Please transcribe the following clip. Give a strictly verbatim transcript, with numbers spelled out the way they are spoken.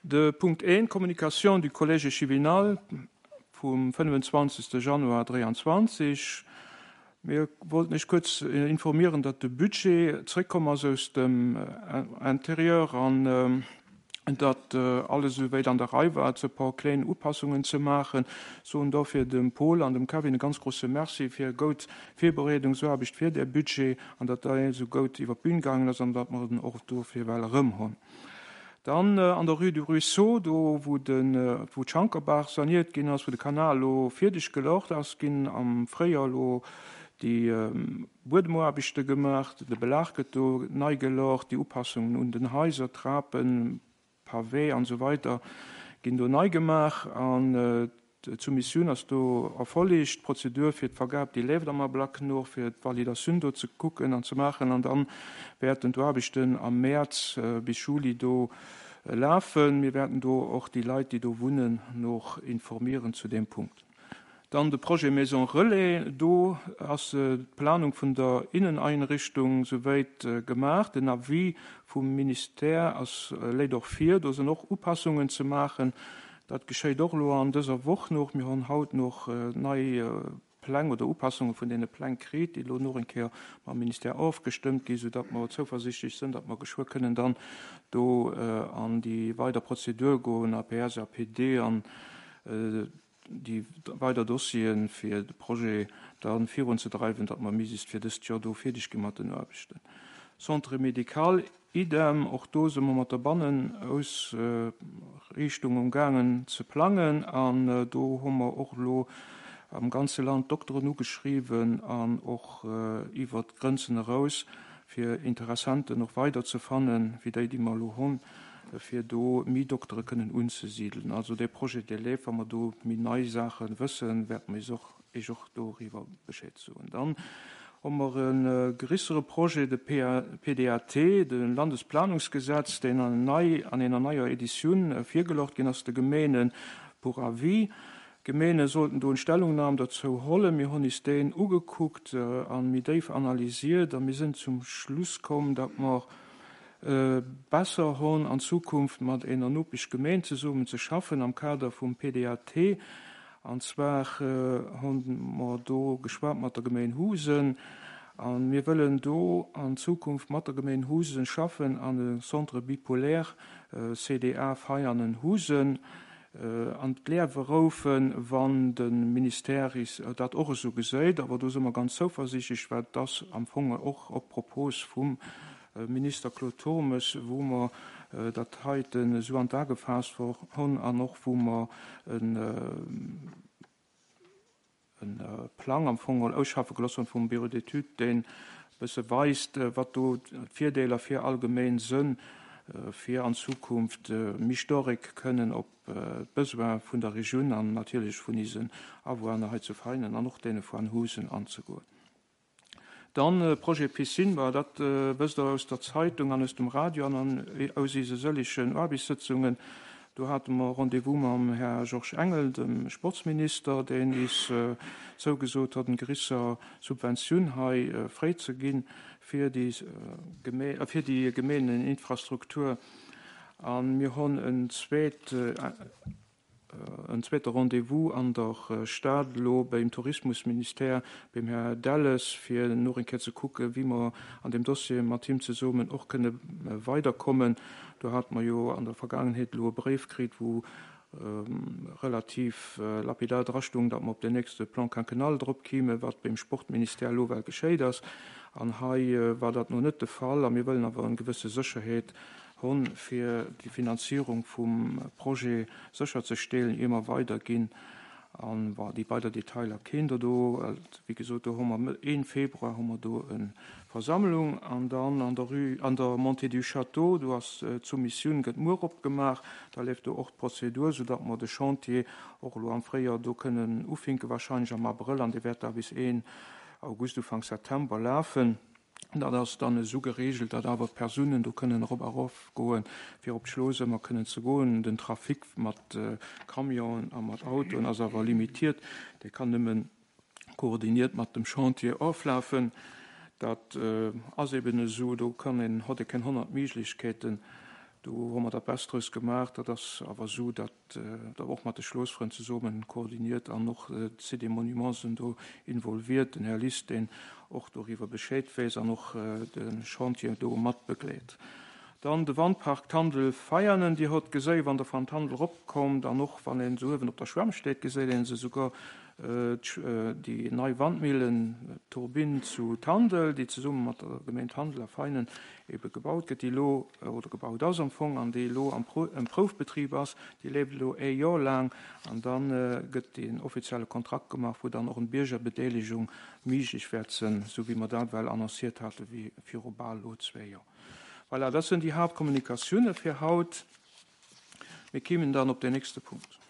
De Punkt eent, Communication du Collège échevinal vum fënnefenzwanzegste Januar dräianzwanzeg. Mir wollten Iech kuerz informieren, datt de Budget zréckkomm ass aus dem Intérieur an datt alles esouwäit an der Rei war, e puer kléin Upassungen ze maachen. Soen dofir dem Paul an dem Kevin e ganz grosse Merci fir goud Virbereedungsaarbecht fir dee Budget an datt dei esou goud iwwer d'Bün gaangen ass an datt mer en och dofir well erëm hunn. Dann an der Rue du Ruisseau, do wou de wou d'Schankerbaach saniert ginn ass, wou de Kanal elo fierdeg gelocht ass, ginn am Fréijoer elo déi Buedemuarbechte gemaach, de Belag gëtt do nei gelocht, déi Upassungen un den Haiser, Trapen, Pavé an esou weider ginn do nei gemaach an d'Soumissioun ass do erfollegt. D'Prozedur fir d'Vergab, déi leeft am Ablack no, fir d'Validatioun do ze kucken an ze maachen an dann wäerten d'Aarbechten am Mäerz bis Juli do lafen. Mir wäerten do och déi Leit, déi do wunnen, noch informieren zu deem Punkt. Dann de Projet Maison Relais, do ass d'Planung vun der Inneneinrichtung souwäit gemaach. Den Avis vum Ministère ass léit och vir, do sinn och Upassungen ze maachen. Dat geschéit och elo an dëser Woch nach. Mir hunn haut nach nei Pläng oder Upassunge vun deene Pläng kritt, déi elo nach eng Kéier mam Ministère ofgestëmmt ginn, soudatt mer zouversichtlech sinn, datt mer geschwë kënnen dann do an déi weider Prozedur goen, A P S, A P D an déi weider Dossieren, fir de Projet da virunzedreiwen, datt mer méiglechst fir dëst Joer do fierdeg gi mat den Aarbechten. Centre médical, idem, och do si mer mat der Bannenausriichtung umgaangen ze plangen an do hu mer och elo am ganze Land Dokteren ugeschriwwen an och iwwer d'Grenzen eraus, fir Interessenten och weider ze fannen, wéi déi, déi mer elo hunn, fir do méi Doktere kënnen unzesidelen. Also dee Projet, dee leeft. Wa mer do méi nei Saache wëssen, wäerte mer Iech och doriwwer Bescheed soen. Dann hu mer e grössere Projet, de P D A T, de Landesplanungsgesetz, deen an nei an enger neier Editioun virgeluecht ginn ass de Gemeene pour avis. D'Gemeene sollten do eng Stellungnam dozou hollen. Mir hunn is deen ugekuckt an méi déif analysiert a mir sinn zum Schluss komm, datt mer besser hunn, an Zukunft mat enger Nopeschgemeen zesummen ze schaffen am Kader vum P D A T. An zwar hu mer do geschwat mat der Gemeen Husen an mir wëllen do an Zukunft mat der Gemeen Husen schaffen an de Centre bipolaire C D A Veianen Husen an d'Liewe roufen, wann de Ministère dat och esou geséit. Awer do si mer ganz zouversiichtlech, well dat ass am Fong och op Propos vum Minister Claude Turmes, wou mer dat heiten esou an d'A gefaasst hunn an och wou mer en Plang am Fong ausschaffe gelooss hunn vum Bureau d'études, deen e bësse weist, wat do d'Virdeeler fir all Gemeen sënn, fir an Zukunft méi staark kënnen op d'Besoin vun der Regioun an natierlech vun isen Awunner hei zu Veianen an och deene vun Husen anzegoen. Dann Projet Piscine, war dat wësst Der aus der Zeitung an aus dem Radio an aus ise sëllegen Aarbechtssëtzungen. Do hate mer Rendez-vous mam Här Georges Engel, dem Sportsminister, deen is zougesot huet, eng gréisser Subventioun hei fréi ze ginn fir déi fir déi Gemeeneninfrastruktur. A mir hunn en zweet en zweete Rendez-vous an der Stad elo beim Tourismusministère, beim Här Delles, fir nach eng Kéier ze kucken, wéi mer an deem Dossier mat him zesummen och kënne weiderkommen. Do hate mer jo an der Vergaangenheet elo e Bréif kritt, wou relativ lapidar drastoung, datt mer op den nächste Plan quinquennal drop kimen, wat beim Sportministère elo well geschéit ass. An hei war dat nach net de Fall a mir wëllen awer eng gewësse Sécherheet hunn, fir déi Finanzierung vum Projet sécherzestellen, ier mer weiderginn. An déi weider Detailer kennt Der do. Wéi gesot, do hu mer een Februar hu mer do eng Versammlung. An dann an der Rue, an der Montée du Château, do ass d'Soumissioun gëtt muer opgemaach. Da leeft do och d'Prozedur, soudatt mer de Chantier och elo am Fréijoer do kënnen ufänken, warscheinlech am Abrëll, an dee wäert da bis een August, Ufank September lafen. Dat ass dann esou gereegelt, datt awer d'Persounen do kënnen erop a erof goen, fir op d'Schloss ëmmer kënnen ze goen. Den Trafic mat Camionen a mat Autoen ass awer limitiert. Dee kann nëmmen koordiniert mat dem Chantier oflafen. Dat ass eben esou, do kann een, huet ee keng honnert Méiglechkeeten. Do hu mer dat Best drous gemaach. Dat ass awer esou, datt dat och mat de Schlossfrënn zesummen koordiniert an och d'Site des Monuments sinn do involviert, den Här Liss, deen och doriwwer Bescheed weess an och de Chantier do mat begleet. Dann de Wandpark Tandel-Veianen, Dir hutt geséi wann Der van Tandel eropkommt an och wann een esou uewen op der Schwämm steet, geséit een se souguer, déi nei Wandmillen, Turbinn zu Tandel, déi zesumme mat der Gemeng Tandel a Veinen ebe gebaut gëtt, déi elo, oder gebaut ass am Fong, an déi elo am Proufbetrib ass. Déi leeft elo ee Joer laang an da gëtt deen offizielle Kontrakt gemaach, wou dann och eng Biergerbedeelegung méiglech wäert sinn, esou wéi mer dat well annonciert hate viru bal elo zwee Joer. Voilà, dat sinn déi Haaptkommunikatioune fir haut. Mir kéimen dann op den nächste Punkt.